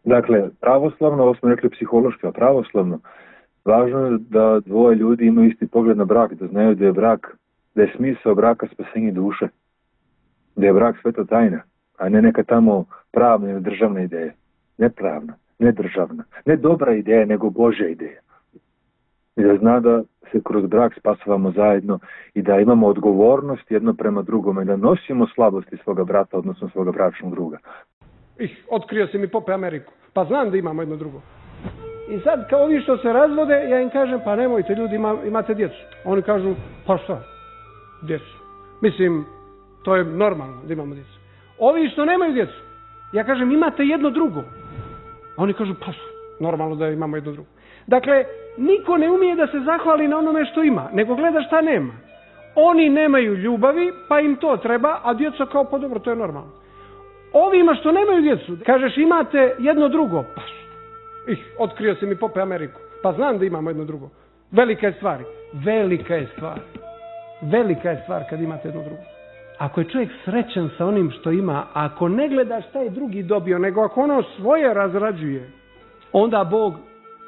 Dakle, pravoslavno, ovo smo rekli psihološki, a pravoslavno, važno je da dvoje ljudi imaju isti pogled na brak, da znaju da je brak, da je smisao braka spasenje duše, da je brak sveta tajna, a ne neka tamo pravna ili državna ideja. Ne pravna, ne državna, ne dobra ideja, nego Božja ideja. I da zna da se kroz brak spasavamo zajedno i da imamo odgovornost jedno prema drugome i da nosimo slabosti svoga brata, odnosno svoga bračnog druga. Ih, otkrio si mi Pope Ameriku, pa znam da imamo jedno drugo. I sad kao ovi što se razvode, ja im kažem, pa nemojte ljudi, ima, imate djecu. Oni kažu, pa šta, djecu. Mislim, to je normalno da imamo djecu. Ovi što nemaju djecu, ja kažem, imate jedno drugo. A oni kažu, pa normalno da imamo jedno drugo. Dakle, niko ne umije da se zahvali na onome što ima, nego gleda šta nema. Oni nemaju ljubavi, pa im to treba, a djeca kao, pa dobro, to je normalno. Ovima što nemaju djecu, kažeš, imate jedno drugo, pa ih, otkrio si mi Pope Ameriku, pa znam da imamo jedno drugo. Velika je stvar, velika je stvar, velika je stvar kad imate jedno drugo. Ako je čovjek srećan sa onim što ima, ako ne gleda šta je drugi dobio, nego ako ono svoje razrađuje, onda Bog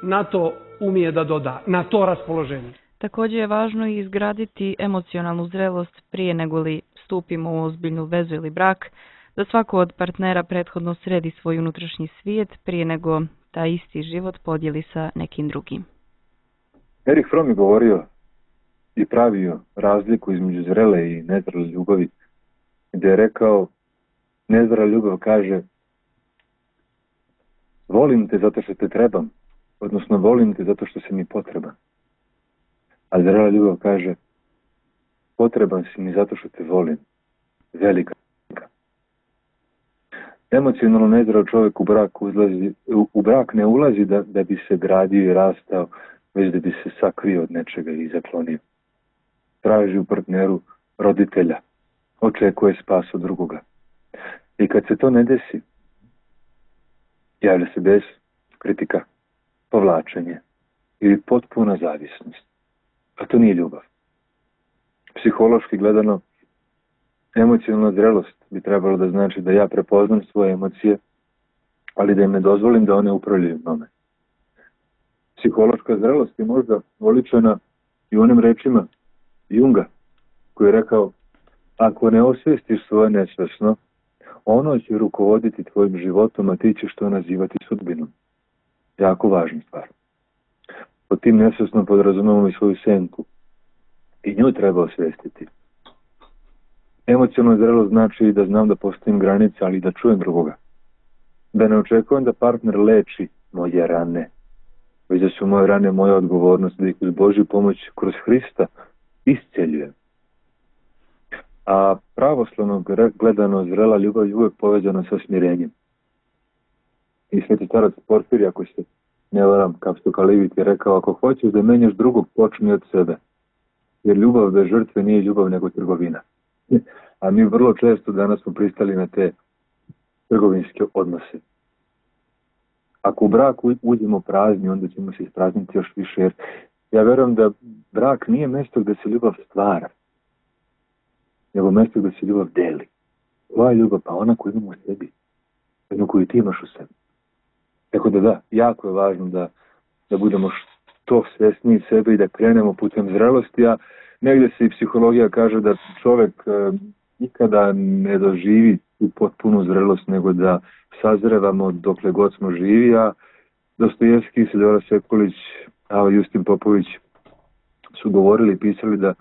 na to umije da doda, na to raspoloženje. Također je važno i izgraditi emocionalnu zrelost prije nego li stupimo u ozbiljnu vezu ili brak, da svako od partnera prethodno sredi svoj unutrašnji svijet prije nego taj isti život podijeli sa nekim drugim. Erich Fromm je govorio i pravio razliku između zrele i nezrele ljubavi, gdje je rekao, nezrela ljubav kaže, volim te zato što te trebam, odnosno volim te zato što si mi potreban. A zrela ljubav kaže, potreban si mi zato što te volim, velika. Emocionalno nezreo čovjek u brak, uzlazi, u, u brak ne ulazi da, da bi se gradio i rastao, već da bi se sakrio od nečega i zaklonio. Traži u partneru roditelja, očekuje spas od drugoga. I kad se to ne desi, javlja se bes, kritika, povlačenje ili potpuna zavisnost. A to nije ljubav. Psihološki gledano, emocionalna zrelost bi trebalo da znači da ja prepoznam svoje emocije, ali da im ne dozvolim da one upravljaju mnom. Psihološka zrelost je možda oličena i u onim rečima Junga, koji je rekao, ako ne osvijestiš svoje nesvesno, ono će rukovoditi tvojim životom, a ti ćeš to nazivati sudbinom. Jako važna stvar. Pod tim nesvesno podrazumemo i svoju senku. I nju treba osvijestiti. Emocionalno zrelo znači da znam da postavim granice, ali da čujem drugoga. Da ne očekujem da partner leči moje rane, već da su moje rane moja odgovornost, da ih uz Božju pomoć kroz Hrista isceljujem. A pravoslavno gledano zrela ljubav je uvijek povezana sa smirenjem. I sveti starac Porfirij, ako se ne varam, Kapstokalivit je rekao, ako hoćeš da menjaš drugog, počni od sebe. Jer ljubav bez žrtve nije ljubav nego trgovina. A mi vrlo često danas smo pristali na te trgovinske odnose. Ako u brak uđemo prazni, onda ćemo se isprazniti još više. Jer ja verujem da brak nije mjesto gdje se ljubav stvara, nego mjesto gdje se ljubav deli. Koja je ljubav? Pa ona koju imamo u sebi. Jednu koju ti imaš u sebi. Tako da da, jako je važno da, da budemo što svjesniji sebe i da krenemo putem zrelosti, a negdje se i psihologija kaže da čovjek e, nikada ne doživi u potpunu zrelost, nego da sazrevamo dokle god smo živi, a Dostojevski, Silvera Sekulić, a Justin Popović su govorili i pisali da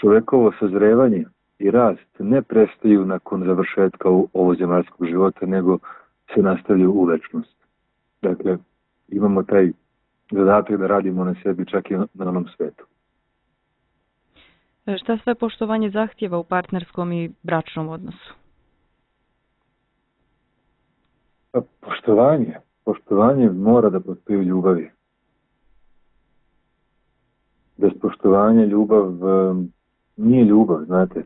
čovekovo sazrevanje i rast ne prestaju nakon završetka ovozemaljskog života, nego se nastavljaju u večnost. Dakle, imamo taj zadatak da radimo na sebi čak i na onom svetu. Šta sve poštovanje zahtjeva u partnerskom i bračnom odnosu? Pa, poštovanje. Poštovanje mora da postoji u ljubavi. Bez poštovanja ljubav um, nije ljubav, znate.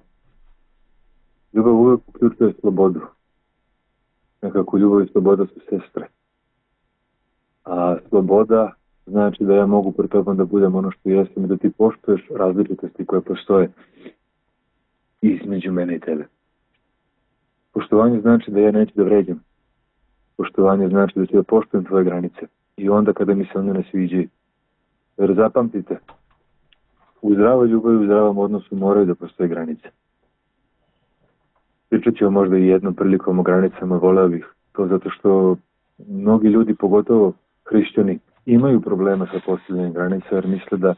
Ljubav uvijek uključuje slobodu. Nekako ljubav i sloboda su sestre. A sloboda znači da ja mogu pred tobom da budem ono što jesam i da ti poštuješ različitosti koje postoje između mene i tebe. Poštovanje znači da ja neću da vređam. Poštovanje znači da ću da poštujem tvoje granice. I onda kada mi se one ne sviđaju. Jer zapamtite, u zdravoj ljubavi, u zdravom odnosu moraju da postoje granice. Pričat ću možda i jednom prilikom o granicama, voleo bih to zato što mnogi ljudi, pogotovo hrišćani, imaju problema sa postavljanjem granica jer misle da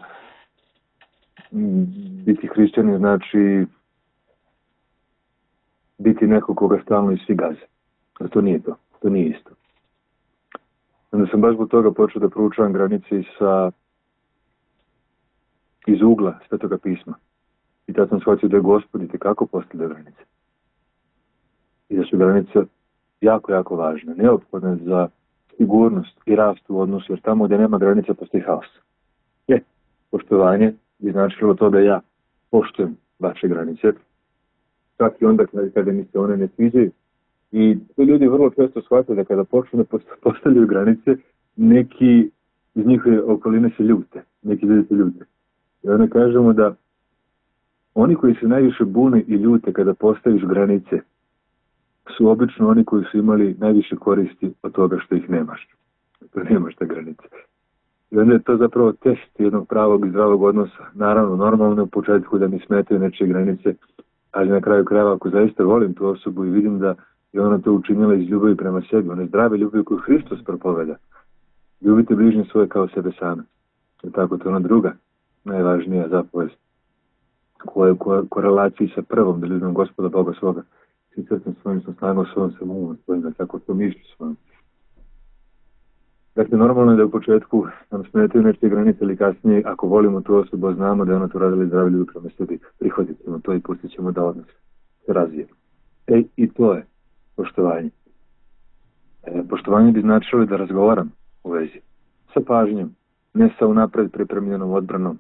biti hrišćani znači biti neko koga stalno i svi gaze. A to nije to. To nije isto. Onda sam baš zbog toga počeo da proučavam granice i sa iz ugla Svetoga pisma. I tad sam shvatio da je Gospod itekako postavlja granice. I da su granice jako, jako važne. Neophodne za sigurnost i rast u odnosu, jer tamo gdje nema granica postoji haos. Je, poštovanje bi značilo to da ja poštujem vaše granice, čak i onda kada mi se one ne sviđaju. I to ljudi vrlo često shvataju da kada počnu da postavljaju granice, neki iz njihove okoline se ljute, neki ljudi se ljute. I onda kažemo da oni koji se najviše bune i ljute kada postaviš granice, su obično oni koji su imali najviše koristi od toga što ih nemaš. To nemaš te granice. I onda je to zapravo test jednog pravog i zdravog odnosa. Naravno, normalno u početku da mi smetaju nečije granice, ali na kraju krajeva ako zaista volim tu osobu i vidim da je ona to učinila iz ljubavi prema sebi, one zdrave ljubavi koju Hristos propoveda. Ljubite bližnje svoje kao sebe same. I tako to je ona druga, najvažnija zapovest koja je u korelaciji sa prvom, da ljubim Gospoda Boga svoga. Svi srcem svojim sam snagom svojom sam umom svojim, da tako to mišlju svojom. Dakle, normalno je da u početku nam smetaju nečije granice, ali kasnije, ako volimo tu osobu, znamo da je ona to radila i zdravi ljudi prema sebi, prihvatit ćemo to i pustit ćemo da odnos se razvije. E, i to je poštovanje. E, poštovanje bi značilo da razgovaram u vezi sa pažnjom, ne sa unapred pripremljenom odbranom,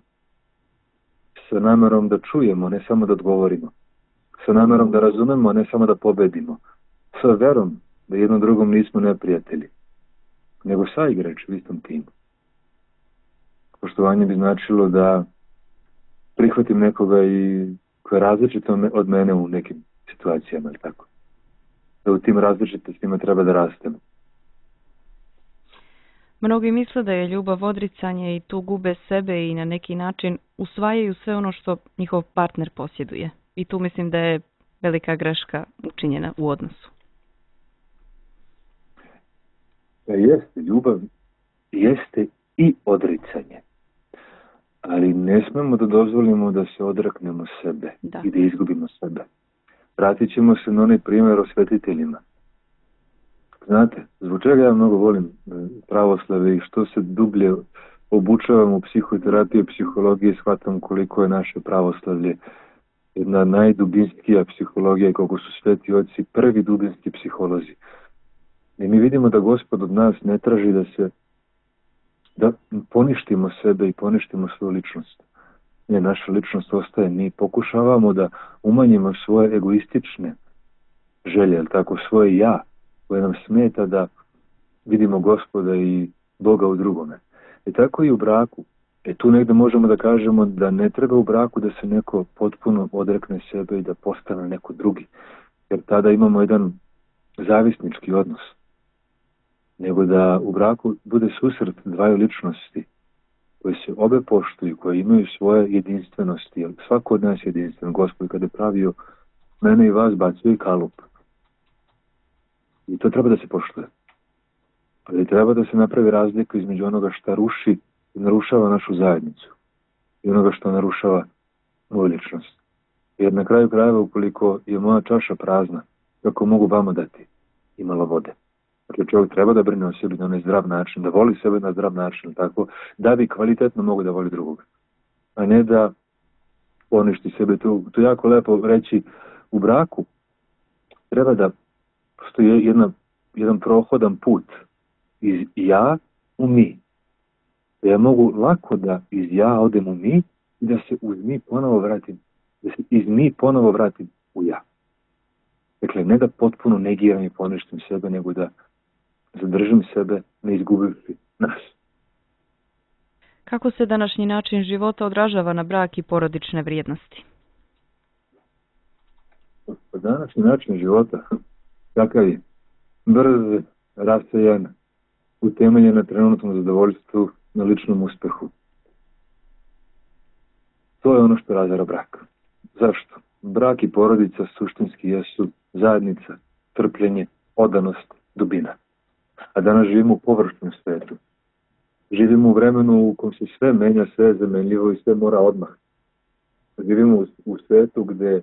sa namerom da čujemo, ne samo da odgovorimo, sa namerom da razumemo, ne samo da pobedimo, sa verom da jednom drugom nismo neprijatelji, nego saigrač u istom timu. Poštovanje bi značilo da prihvatim nekoga i koja je različita od mene u nekim situacijama, ili tako. Da u tim različitostima treba da rastemo. Mnogi misle da je ljubav odricanje i tu gube sebe i na neki način usvajaju sve ono što njihov partner posjeduje. I tu mislim da je velika greška učinjena u odnosu. Da jeste, ljubav jeste i odricanje. Ali ne smemo da dozvolimo da se odreknemo sebe da. I da izgubimo sebe. Vratit ćemo se na onaj primjer o svetiteljima. Znate, zbog čega ja mnogo volim pravoslave i što se dublje obučavam u psihoterapiji, psihologiji, shvatam koliko je naše pravoslavlje jedna najdubinskija psihologija i koliko su sveti oci prvi dubinski psiholozi. I mi vidimo da Gospod od nas ne traži da se da poništimo sebe i poništimo svoju ličnost. Ne, naša ličnost ostaje. Mi pokušavamo da umanjimo svoje egoistične želje, ali tako svoje ja, koje nam smeta da vidimo Gospoda i Boga u drugome. I tako i u braku. E tu negdje možemo da kažemo da ne treba u braku da se neko potpuno odrekne sebe i da postane neko drugi. Jer tada imamo jedan zavisnički odnos. Nego da u braku bude susret dvaju ličnosti koje se obe poštuju, koje imaju svoje jedinstvenosti. Jer svako od nas je jedinstven. Gospod kada je pravio mene i vas bacio i kalup. I to treba da se poštuje. Ali treba da se napravi razlika između onoga što ruši i narušava našu zajednicu i onoga što narušava moju ličnost. Jer na kraju krajeva, ukoliko je moja čaša prazna, kako mogu vama dati i malo vode? Dakle, čovjek treba da brine o sebi na onaj zdrav način, da voli sebe na zdrav način, tako, da bi kvalitetno mogu da voli drugog. A ne da poništi sebe. To, to je jako lepo reći u braku. Treba da postoji jedna, jedan prohodan put iz ja u mi. Da ja mogu lako da iz ja odem u mi i da se uz mi ponovo vratim, da se iz mi ponovo vratim u ja. Dakle, ne da potpuno negiram i poništim sebe, nego da zadržim sebe, ne izgubivši nas. Kako se današnji način života odražava na brak i porodične vrijednosti? Današnji način života, kakav je? Brz, rasejan, utemeljen na trenutnom zadovoljstvu, na ličnom uspehu. To je ono što razara brak. Zašto? Brak i porodica suštinski jesu zajednica, trpljenje, odanost, dubina. A danas živimo u površnom svetu. Živimo u vremenu u kojem se sve menja, sve je zamenljivo i sve mora odmah. Živimo u, u svetu gde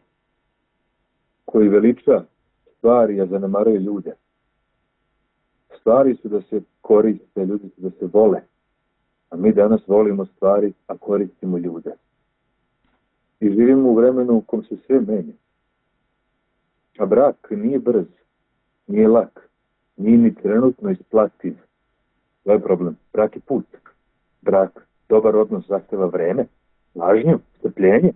koji veliča stvari, a zanemaruje ljude. Stvari su da se koriste, ljudi su da se vole. A mi danas volimo stvari, a koristimo ljude. I živimo u vremenu u kojem se sve menja. A brak nije brz, nije lak, nije ni trenutno isplativ. To je problem. Brak je put. Brak, dobar odnos zahteva vreme, važnju, strpljenje,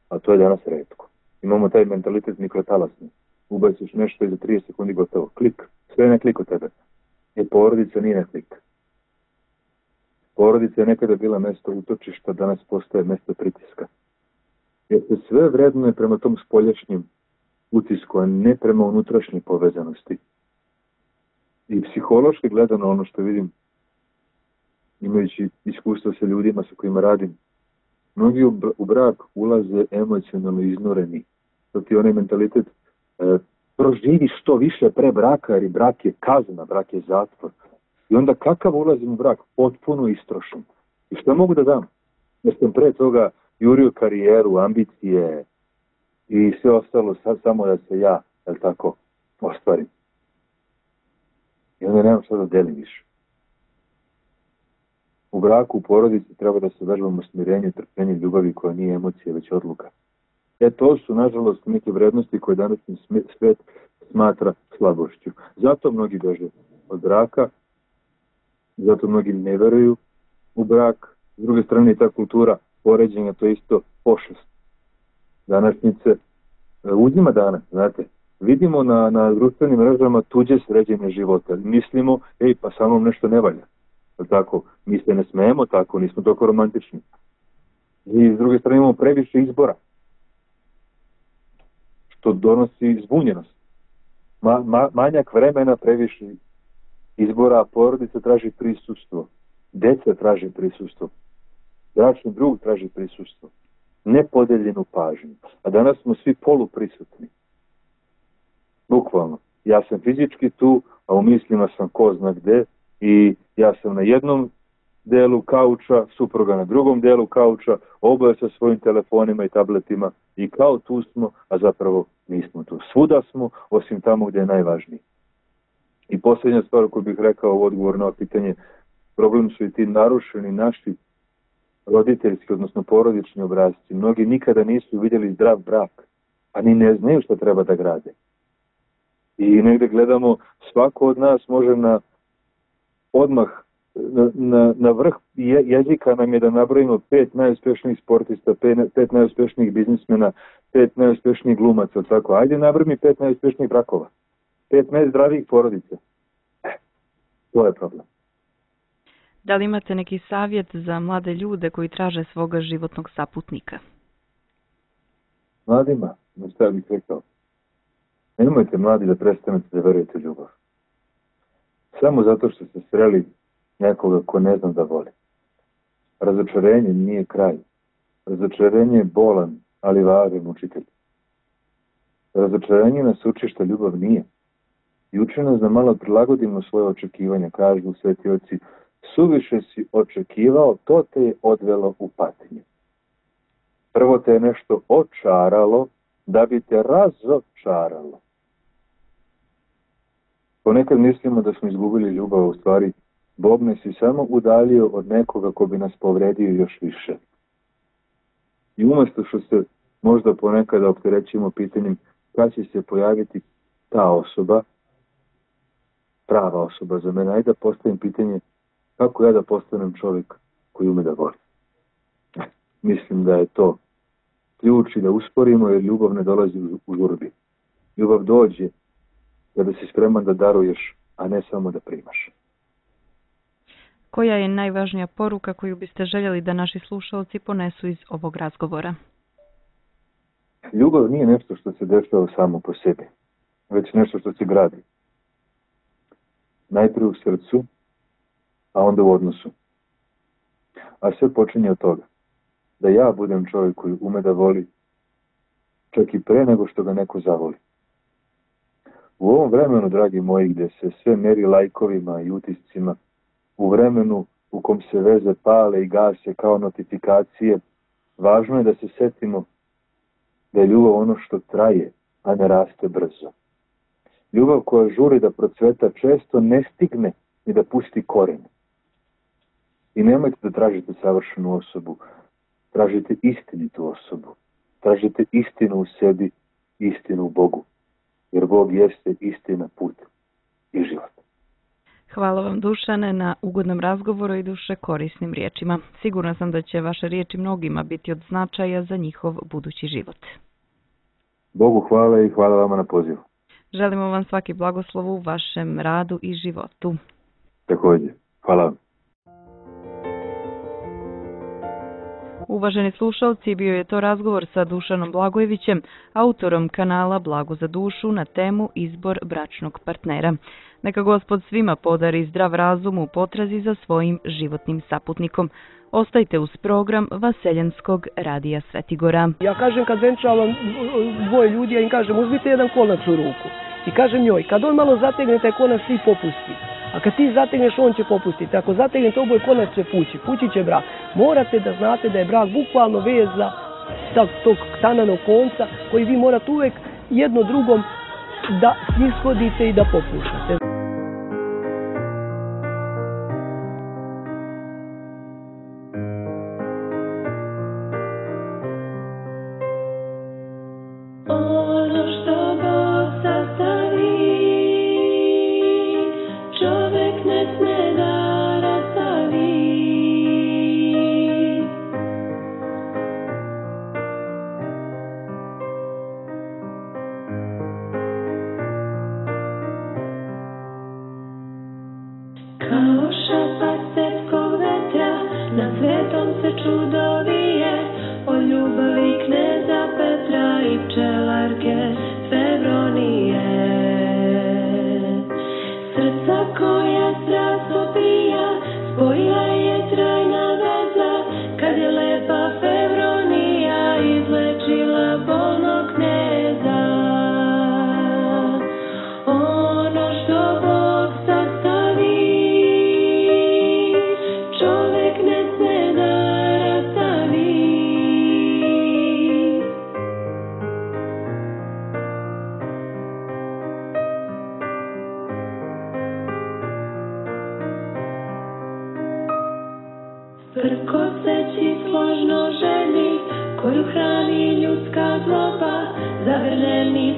a to je danas retko. Imamo taj mentalitet mikrotalasni. Ubaciš nešto i za trideset sekundi gotovo. Klik. Sve je na klik od tebe. Jer porodica nije na klik. Porodica je nekada bila mesto utočišta, danas postaje mesto pritiska. Jer se sve vrednuje prema tom spoljašnjem utisku, a ne prema unutrašnjoj povezanosti. I psihološki gledano, ono što vidim, imajući iskustvo sa ljudima sa kojima radim, mnogi u brak ulaze emocionalno iznureni. To ti je onaj mentalitet, e, proživi što više pre braka, jer i brak je kazna, brak je zatvor. I onda kakav ulazim u brak? Potpuno istrošen. I što mogu da dam? Jer sam pre toga jurio karijeru, ambicije i sve ostalo sad samo da se ja, jel tako, ostvarim. I onda nemam šta da delim više. U braku, u porodici treba da se vežbamo smirenju, trpljenju, ljubavi koja nije emocija, već odluka. E to su, nažalost, neke vrednosti koje današnji svet smatra slabošću. Zato mnogi beže od braka, zato mnogi ne veruju u brak. S druge strane, ta kultura poređenja, to je isto pošast. Današnjice uzima danas, znate. Vidimo na, na društvenim mrežama tuđe sređenje života. Mislimo, ej, pa sa mnom nešto ne valja. Tako, mi se ne smijemo tako, nismo toliko romantični. I s druge strane imamo previše izbora, što donosi zbunjenost. Ma, ma, manjak vremena, previše izbora, porodica traži prisustvo, deca traži prisustvo, bračni drug traži prisustvo, nepodeljenu pažnju. A danas smo svi poluprisutni. Bukvalno. Ja sam fizički tu, a u mislima sam ko zna gde, i ja sam na jednom delu kauča, supruga na drugom delu kauča, oboje sa svojim telefonima i tabletima i kao tu smo, a zapravo nismo tu. Svuda smo, osim tamo gdje je najvažniji. I posljednja stvar koju bih rekao u odgovor na ovo pitanje, problem su i ti narušeni naši roditeljski, odnosno porodični obrazci. Mnogi nikada nisu vidjeli zdrav brak, a ni ne znaju što treba da grade. I negde gledamo, svako od nas može na odmah na, na, na vrh je, jezika nam je da nabrojimo pet najuspješnijih sportista, pet, pet najuspješnijih biznismena, pet najuspješnijih glumaca, tako. Ajde nabroj mi pet najuspješnijih brakova, pet najzdravijih porodica. E, to je problem. Da li imate neki savjet za mlade ljude koji traže svoga životnog saputnika? Mladima, no šta bih rekao, nemojte mladi da prestanete da verujete ljubav. Samo zato što ste sreli nekoga ko ne zna da voli. Razočarenje nije kraj. Razočarenje je bolan, ali važan učitelj. Razočarenje nas uči što ljubav nije. i uči nas da malo prilagodimo svoje očekivanja. Kažu sveti oci, suviše si očekivao, to te je odvelo u patnju. Prvo te je nešto očaralo, da bi te razočaralo. Ponekad mislimo da smo izgubili ljubav, u stvari Bog nas je samo udalio od nekoga ko bi nas povredio još više. I umjesto što se možda ponekad opterećimo pitanjem kada će se pojaviti ta osoba, prava osoba za mene, ajde da postavim pitanje kako ja da postanem čovjek koji ume da voli. Mislim da je to ključ i da usporimo, jer ljubav ne dolazi u žurbi. Ljubav dođe kada si spreman da daruješ, a ne samo da primaš. Koja je najvažnija poruka koju biste željeli da naši slušalci ponesu iz ovog razgovora? Ljubav nije nešto što se dešava samo po sebi, već nešto što se gradi. Najprije u srcu, a onda u odnosu. A sve počinje od toga da ja budem čovjek koji ume da voli, čak i pre nego što ga neko zavoli. U ovom vremenu, dragi moji, gdje se sve meri lajkovima i utiscima, u vremenu u kom se veze pale i gase kao notifikacije, važno je da se setimo da je ljubav ono što traje, a ne raste brzo. Ljubav koja žuri da procveta često ne stigne ni da pusti koren. I nemojte da tražite savršenu osobu, tražite istinitu osobu, tražite istinu u sebi, istinu u Bogu, jer Bog jeste istina, put i život. Hvala vam, Dušane, na ugodnom razgovoru i duše korisnim riječima. Sigurna sam da će vaše riječi mnogima biti od značaja za njihov budući život. Bogu hvala i hvala vama na pozivu. Želimo vam svaki blagoslov u vašem radu i životu. Također. Hvala vam. Uvaženi slušalci, bio je to razgovor sa Dušanom Blagojevićem, autorom kanala Blago za dušu na temu Izbor bračnog partnera. Neka Gospod svima podari zdrav razum u potrazi za svojim životnim saputnikom. Ostajte uz program Vaseljenskog radija Svetigora. Ja kažem kad venčavam dvoje ljudi, ja im kažem uzmite jedan konac u ruku. I kažem njoj, kad on malo zategne taj konac, ti popusti. A kad ti zategneš, on će popustiti. Ako zategnete oboj, konac će pući. Pući će brak. Morate da znate da je brak bukvalno veza tog tananog konca koji vi morate uvek jedno drugom da ishodite i da popuštate. Prkoseći složno ženi koju hrani ljudska zloba, zagrljeni